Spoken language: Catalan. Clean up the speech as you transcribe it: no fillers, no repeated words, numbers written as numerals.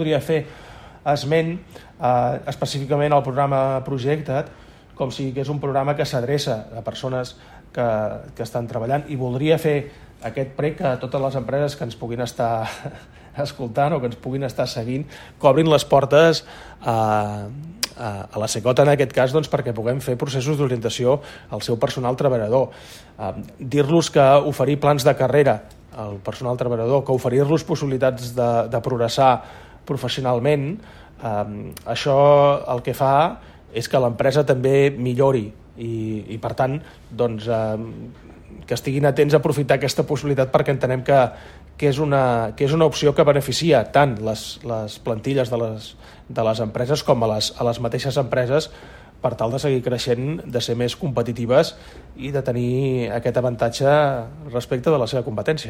Podria fer esment específicament al programa Projecta't, com si és un programa que s'adreça a persones que estan treballant, i voldria fer aquest prec a totes les empreses que ens puguin estar escoltant o que ens puguin estar seguint, que obrin les portes a la Secota en aquest cas, doncs, perquè puguem fer processos d'orientació al seu personal treballador. Dir-los que oferir plans de carrera al personal treballador, que oferir-los possibilitats de progressar professionalment, això el que fa és que l'empresa també millori i per tant, doncs, que estiguin atents a aprofitar aquesta possibilitat, perquè entenem que és una opció que beneficia tant les plantilles de les empreses com a les mateixes empreses, per tal de seguir creixent, de ser més competitives i de tenir aquest avantatge respecte de la seva competència.